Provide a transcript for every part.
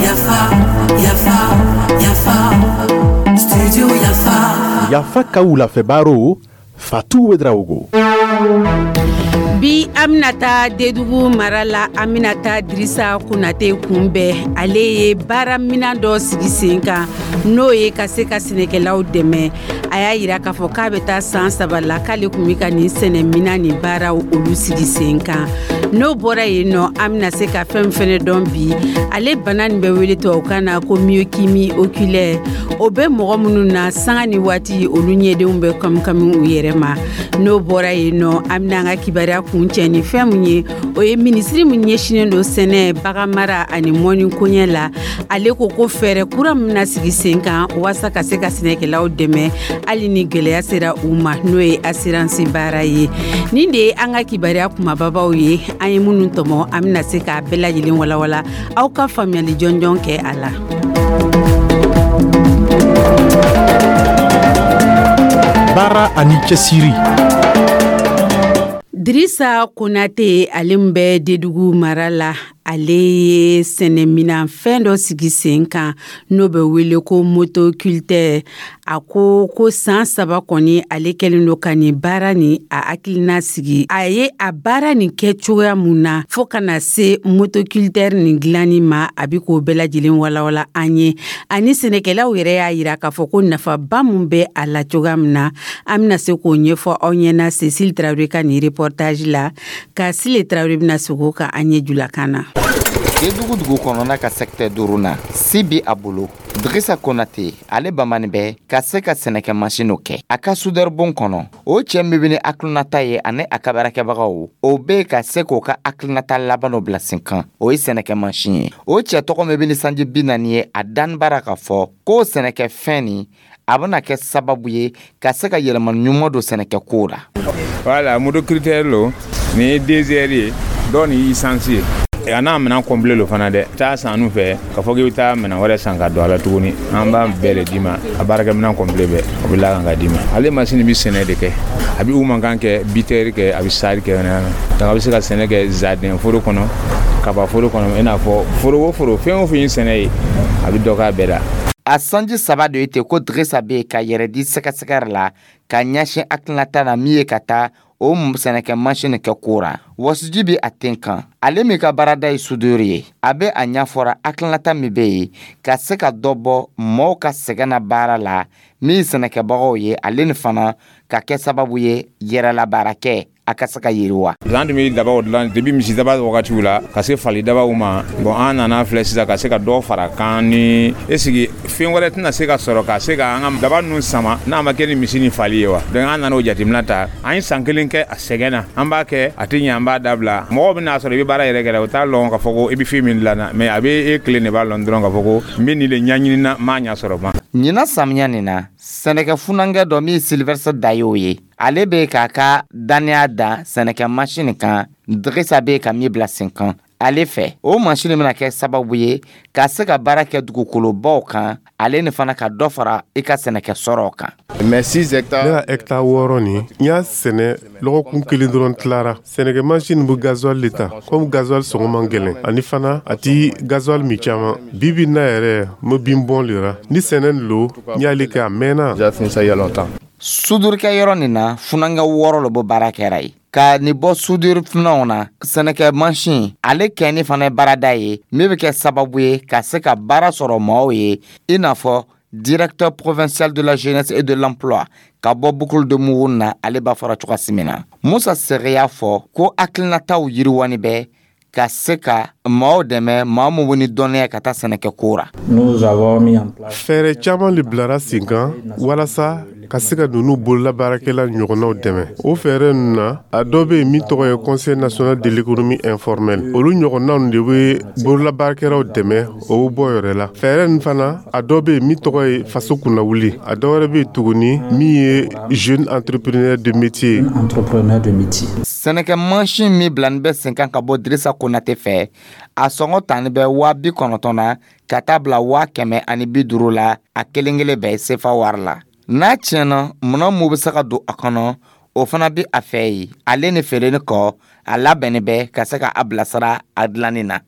Yafa, yafa, yafa, studio Yafa. Yafa ka wulafɛ baro, Fatu Ouedraogo. Bi, an bɛna taa Dedugu mara la. An bɛna taa Dirisa Konate kunbɛn. Ale ye baaraminan dɔ sigi sen kan, n'o ye ka se ka sɛnɛkɛlaw dɛmɛ. A y'a yira k'a fɔ k'a bɛ taa san 3 la k'ale tun bɛ ka nin sɛnɛminan nin baaraw olu sigi sen kan. N'o bɔra yen nɔ, an bɛna se ka fɛn fɛnɛ dɔn bi. Ale bana nin bɛ wele tubabukan na ko myokymie oculaire. O bɛ mɔgɔ minnu na, sanga ni waati olu ɲɛdenw bɛ kamikami u yɛrɛ ma. N'o bɔra yen nɔ, an bɛna an ka kibaruya kuncɛ ni fɛn mun ye, o ye minisiri min ɲɛsinnen don sɛnɛ, baganmara ani mɔni koɲɛ la. Ale ko ko fɛɛrɛ kura min bɛna sigi sen kan walasa ka se ka sɛnɛkɛlaw dɛmɛ hali ni gɛlɛya sera u ma, n'o ye assurance baara ye. Nin de ye an ka kibaruya kumababaw ye, an ye minnu tɔmɔ. An bɛna se k'a bɛɛ lajɛlen walawala, aw ka faamuyali jɔnjɔn kɛ a la. Baara ani cɛsiri. Dirisa Konate, ale min bɛ Dedugu mara la, ale ye sɛnɛminan fɛn dɔ sigi sen kan, n'o bɛ wele ko motoculteur. A ko ko san 3 kɔni, ale kɛlen don ka nin baara nin a hakilina sigi. A ye a baara nin kɛ cogoya mun na fɔɔ ka na se motoculteur nin dilanni ma, a bi k'o bɛɛ lajɛlen walawala an ye. Ani sɛnɛkɛlaw yɛrɛ y'a yira k'a fɔ ko nafaba mun bɛ a la cogoya min na, an bɛna se k'o ɲɛfɔ aw ɲɛna Cécile Traoré ka nin reportage la, ka Sile Traoré bɛna segin o kan an ye julakan na. Dedugu dugu kɔnɔna ka secteur duuru na, si bi a bolo. Dirisa Konate, ale bamani bɛ ka se ka sɛnɛkɛ masinw kɛ a ka soudeur bon kɔnɔ. O cɛ min bɛ ni hakilinata ye ani a ka baarakɛbagaw, o bɛ ka se k'o ka hakilinata laban bila sen kan, o ye sɛnɛkɛ masin ye. O cɛ tɔgɔ min bɛ ni sanji 40 ye, a danni baara ka fɔ k'o sɛnɛkɛfɛn nin, a bɛna kɛ sababu ye ka se ka yɛlɛma ɲuman don sɛnɛkɛko la. Voilà, motoculteur lo, nin ye DGR ye, dɔw ni essence ye. A n'a minɛn complet lo fana dɛ. Taa san n'u fɛ k'a fɔ k'i bɛ taa minɛn wɛrɛ san ka don a la tuguni. An b'a bɛɛ de d'i ma, a baarakɛminɛn complet bɛɛ, o bɛ la kan ka d'i ma. Ale masini bɛ sɛnɛ de kɛ, a bɛ u mankan kɛ, bitɛri kɛ, a bɛ sari kɛ. Donc a bɛ se ka sɛnɛ kɛ jardin foro kɔnɔ, kaba foro kɔnɔ, i n'a fɔ foro o foro, fɛn o fɛn ye sɛnɛ ye, a bɛ dɔ k'a bɛɛ la. A sanji 3 de ye ten ko Dirisa bɛ yen ka yɛrɛ di sɛgɛsɛgɛ la ka ɲɛsin hakilinata na min ye ka taa o sɛnɛkɛ masini kɛ kora. Wasiji bɛ a ten kan. Ale min ka baarada ye soudeur ye, a bɛ a ɲɛfɔra hakilinata min bɛ yen ka se ka dɔ bɔ mɔɔw ka sɛgɛn na baara la min ye sɛnɛkɛbagaw ye, ale ni fana ka kɛ sababu ye yɛrɛlabaarakɛ a ka se ka yiriwa. An tun bɛ dabaw dilan depuis misidaba wagatiw la ka se fali dabaw ma. Bon, an nana filɛ sisan ka se ka dɔ fara kan ni esigi fɛn wɛrɛ tɛna se ka sɔrɔ ka se ka an ka daba ninnu sama n'a ma kɛ ni misi ni fali ye wa. Donc an nana o jateminɛ ta. An ye san kelen kɛ a sɛgɛn na, an b'a kɛ, a tɛ ɲɛ, an b'a dabila. Mɔgɔw bɛna sɔrɔ i bɛ baara yɛrɛ kɛ, o t'a lɔn k'a fɔ ko i bɛ fɛn min dilan na, mais a bɛ e kelen de b'a lɔn dɔrɔn k'a fɔ ko n bɛ nin de ɲɛɲini na, n m'a ɲɛ sɔrɔ ban. Ɲinan samiya nin na, sɛnɛkɛ funankɛ dɔ min ye Sylvestre Dayo ye, ale bɛ k'a ka dannaya da sɛnɛkɛ masini kan Dirisa bɛ ka min bila sen kan. Ale fɛ, o masini bɛna kɛ sababu ye ka se ka baara kɛ dugukolobaw kan, ale ni fana ka dɔ fara i ka sɛnɛkɛ sɔrɔw kan. Mais 6 hectares. Ne ka hectare 6 nin, n y'a sɛnɛ lɔgɔkun kelen dɔrɔn tilara. Sɛnɛkɛ masini bɛ gasoil le ta, komi gasoil sɔngɔ man gɛlɛn, ani fana a ti gasoil min caman. Bi bi na yɛrɛ, n bɛ bin bɔn le ra. Ni sɛnɛ lo, n y'ale kɛ a mɛnna. J'ai fini ça il y a longtemps. Sudurukɛ yɔrɔ nin na, funankɛ 6 le bɔ baara kɛra ye ka nin bɔ soudure funanw na. Sɛnɛkɛ mansin ale kɛni fana ye baarada ye min bɛ kɛ sababu ye ka se ka baara sɔrɔ maaw ye, i n'a fɔ directeur provincial de la jeunesse et de l'emploi ka bɔ Boucle de Mouhoun na, ale b'a fɔra cogoya min na. Musa Sɛgɛ y'a fɔ ko hakilinataw yiriwani bɛ ka se ka maaw dɛmɛ, maa min ni dɔnniya ka taa sɛnɛkɛ ko ra. Fɛɛrɛ caman le bilara sen kan walasa ka se ka ninnu bololabaarakɛla ɲɔgɔnnaw dɛmɛ. O fɛɛrɛ ninnu na, a dɔ bɛ yen min tɔgɔ ye Conseil national de l'économie informelle. Olu ɲɔgɔnnaw de bɛ bololabaarakɛlaw dɛmɛ, o bɛ bɔ yɛrɛ la. Fɛɛrɛ nin fana, a dɔ bɛ yen min tɔgɔ ye faso kunnawuli. A dɔ wɛrɛ bɛ yen tuguni min ye jeune entrepreneur de métier. Sɛnɛkɛ mansin min bilani bɛ sen kan ka bɔ Dirisa Konate fɛ, a sɔngɔ tani bɛ 90 000 na ka taa bila 150 000 la, a kelen kelen bɛɛ sefa wari la. N'a tiɲɛna, minɛn mun bɛ se ka don a kɔnɔ, O fana bɛ a fɛ yen. Ale ni feereni kɔ, a labɛnni bɛ ka se ka a bilasira a dilanni na.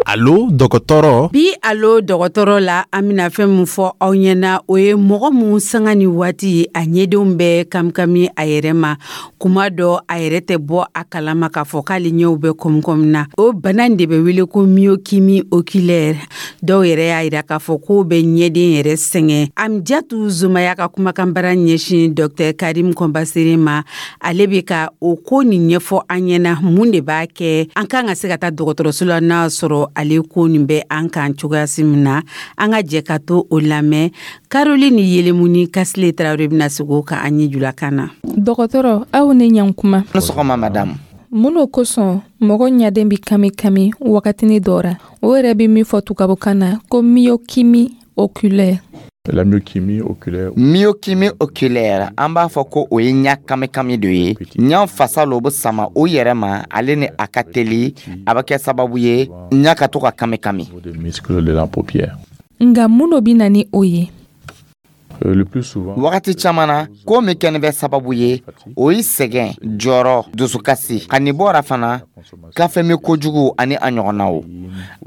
Allo dɔgɔtɔrɔ. Bi Allo dɔgɔtɔrɔ la, an bɛna fɛn min fɔ aw ɲɛna, o ye mɔgɔ mun sanga ni waati a ɲɛdenw bɛ kamikami a yɛrɛ ma. Kuma dɔ a yɛrɛ tɛ bɔ a kalama k'a fɔ k'ale ɲɛw bɛ kɔmikɔmi na. O bana in de bɛ wele ko myokymie oculaire. Dɔw yɛrɛ y'a yira k'a fɔ k'o bɛ ɲɛden yɛrɛ sɛgɛn. Amjatu Zumaya ka kumakanbara ɲɛsin Dr Karim Kɔnbasere ma, ale bɛ ka o ko nin ɲɛfɔ an ɲɛna, mun de b'a kɛ an kan ka se ka taa dɔgɔtɔrɔso la n'a sɔrɔ ale ko nin bɛ an kan cogoya min na. An ka jɛ ka to o lamɛn. Caroline Yelemuni Kasile Tarawele bɛna sigi o kan an ye julakan na. Dɔgɔtɔrɔ, aw ni ɲankuma. Ni sɔgɔma madame. Mun o kosɔn mɔgɔ ɲaden bɛ kami kami wagatini dɔ ra, o yɛrɛ bɛ min fɔ tubabukan na ko myokymie oculaire? La myokymie oculaire. Myokymie oculaire, an b'a fɔ ko o ye ɲa kamikami dɔ ye. Ɲa fasa lo bɛ sama o yɛrɛ ma, ale ni a ka teli, a bɛ kɛ sababu ye ɲa ka to ka kamikami. Des muscles de la paupière. Nka mun dɔ bɛ na ni o ye? Le plus souvent, wagati caman na, ko min kɛni bɛ sababu ye, o ye sɛgɛn, jɔrɔ, dusukasi, ka nin bɔra fana kafe min kojugu ani a ɲɔgɔnnaw.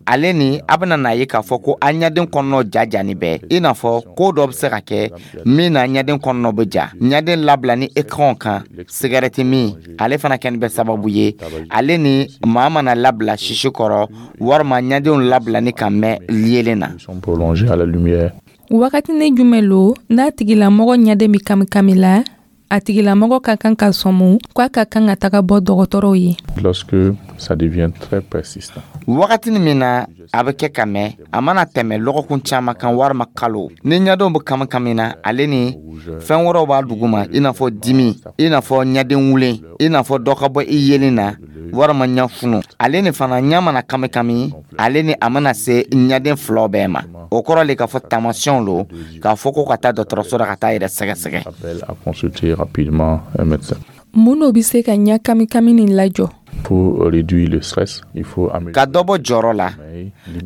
Ale ni a bɛna n'a ye k'a fɔ ko an ɲaden kɔnɔnaw ja jani bɛɛ, i n'a fɔ ko dɔ bɛ se ka kɛ min na ɲaden kɔnɔnaw bɛ ja. Ɲaden labila ni écran kan, sigarɛti min, ale fana kɛni bɛ sababu ye. Ale ni maa mana labila sisi kɔrɔ, walima ɲadenw labila ni ka mɛn yelen na. Prolongé à la lumière. Wagatini jumɛn lo n'a tigilamɔgɔ ɲaden bɛ kamikami la, a tigilamɔgɔ ka kan ka sɔmu k'a ka kan ka taga bɔ dɔgɔtɔrɔw ye? Lorsque ça devient très persistant. Wagatini min na a bɛ kɛ ka mɛn, a mana tɛmɛ lɔgɔkun caman kan walima kalo, ni ɲadenw bɛ kamikami na, ale ni fɛn wɛrɛw b'a duguma, i n'a fɔ dimi, i n'a fɔ ɲaden wulen, i n'a fɔ dɔ ka bɔ i yelen na, walima ɲɛ funu. Ale ni fana ɲɛ mana kamikami, ale ni a mana se ɲaden filaw bɛɛ ma, o kɔrɔ le k'a fɔ taamasiyɛnw lo k'a fɔ ko ka taa dɔgɔtɔrɔso la ka taa yɛrɛ sɛgɛsɛgɛ. Appel à consulter rapidement un médecin. Mun dɔ bɛ se ka ɲɛ kamikami nin lajɔ? Pour réduire le stress, il faut améliorer. Ka dɔ bɔ jɔrɔ la,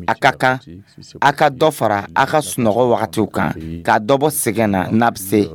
a ka kan a ka dɔ fara a ka sunɔgɔ wagatiw kan, ka dɔ bɔ sɛgɛn na n'a bɛ se,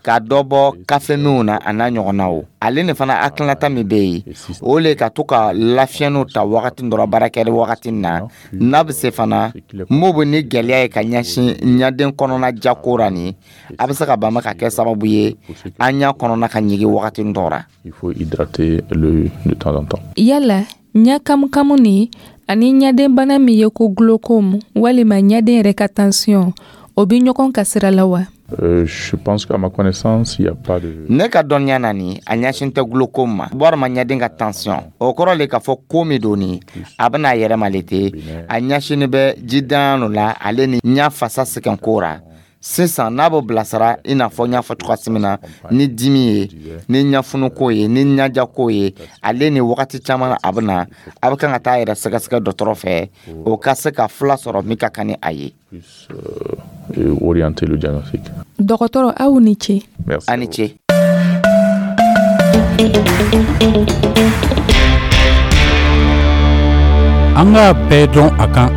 ka dɔ bɔ kafe minw na a n'a ɲɔgɔnnaw. Ale ni fana hakilinata min bɛ yen, o le ka to ka lafiyɛnniw ta wagati dɔ la, baarakɛli wagati na n'a bɛ se fana. Mun bɛ ni gɛlɛya ye ka ɲɛsin ɲaden kɔnɔna jako ra nin, a bɛ se ka ban ka kɛ sababu ye an ɲɛ kɔnɔna ka ɲigin wagati dɔ ra. Il faut hydrater l'œil de temps en temps. Yala ɲɛ kamukamu ni ani ɲaden bana min ye ko glaucome walima ɲaden yɛrɛ ka tension, o bɛ ɲɔgɔn ka sira la wa? Je pense qu'à ma connaissance, il n'y a pas de. Ne ka dɔnniya na nin, a ɲɛsin tɛ glaucome ma walima ɲaden ka tension. O kɔrɔ le k'a fɔ ko min don nin, a bɛna a yɛrɛ ma le ten, a ɲɛsinni bɛ jidan la, ale ni ɲɛ fasa sɛgɛn ko ra. Sisan n'a bɛ bilasira, i n'a fɔ n y'a fɔ cogoya min na, ni dimi ye, ni ɲɛfunuko ye, ni ɲajako ye, ale ni wagati caman a bɛ na, a bɛ kan ka taa yɛrɛ sɛgɛsɛgɛ dɔgɔtɔrɔ fɛ, o ka se ka fila sɔrɔ min ka kan ni a ye. Orienter le diagnostic. Dɔgɔtɔrɔ, aw ni ce. Merci. A ni ce. An k'a bɛɛ dɔn a kan.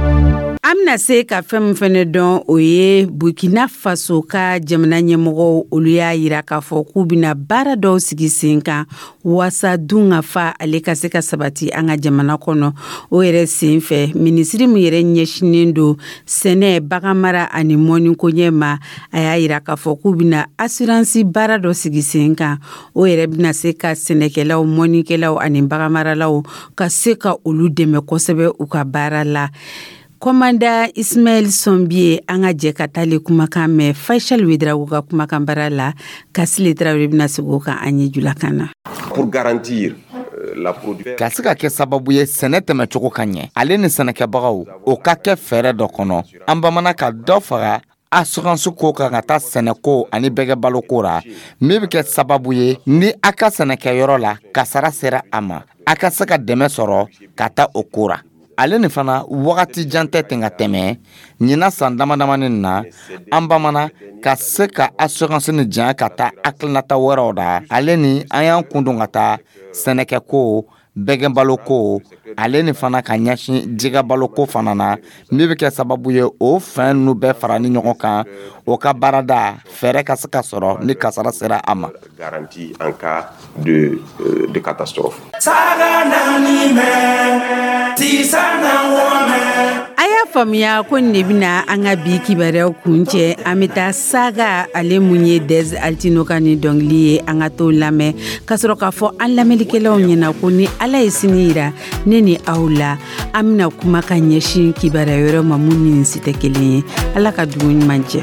An bɛna se ka fɛn min fɛnɛ dɔn, o ye Burkina Faso ka jamana ɲɛmɔgɔw, olu y'a yira k'a fɔ k'u bɛna baara dɔw sigi sen kan waasa dun ka fa ale ka se ka sabati an ka jamana kɔnɔ. O yɛrɛ sen fɛ, minisiri min yɛrɛ ɲɛsinnen don sɛnɛ, baganmara ani mɔniko ɲɛ ma, a y'a yira k'a fɔ k'u bɛna assurance baara dɔ sigi sen kan. O yɛrɛ bɛna se ka sɛnɛkɛlaw, mɔnikɛlaw ani baganmaralaw ka se ka olu dɛmɛ kosɛbɛ u ka baara la. Kɔmanda Ismaël Sɔnbiye, an ka jɛ ka taale kumakan mɛn Faisal Ouedraogo ka kumakan bara la. Kasile Tarawele bɛna sigi o kan an ye julakan na. Pour garantir la production. Ka se ka kɛ sababu ye sɛnɛ tɛmɛcogo ka ɲɛ, ale ni sɛnɛkɛbagaw, o ka kɛ fɛɛrɛ dɔ kɔnɔ. An bamana ka dɔ faga assurance ko kan ka taa sɛnɛko ani bɛgɛbaloko ra, min bɛ kɛ sababu ye ni a ka sɛnɛkɛyɔrɔ la kasara sera a ma, a ka se ka dɛmɛ sɔrɔ ka taa o ko ra. Ale ni fana wagati jan tɛ ten ka tɛmɛ ɲinan san dama damani na, an bamana ka se ka assurance ni janya ka taa hakilinata wɛrɛw da. Ale ni an y'an kun don ka taa sɛnɛkɛko, Bɛgɛnbaloko ale ni fana ka ɲɛsin jɛgɛbaloko fana na, min bɛ kɛ sababu ye, o fɛn ninnu bɛɛ fara ni ɲɔgɔn kan, o ka baarada fɛɛrɛ ka se ka sɔrɔ ni kasara sera a ma. Garantie en cas de catastrophe. A y'a faamuya ko nin de bɛna an ka bi kibaruyaw kun cɛ. An bɛ taa saga ale mun ye Dez Altino ka ni dɔnkili ye, an ka t'o lamɛn ka sɔrɔ k'a fɔ an lamɛnnikɛlaw ɲɛna ko ni Ala ye sini yira ne ni aw la, an bɛna kuma ka ɲɛsin kibaruya wɛrɛ ma mun ni nin si tɛ kelen ye. Ala ka dugu ɲuman jɛ.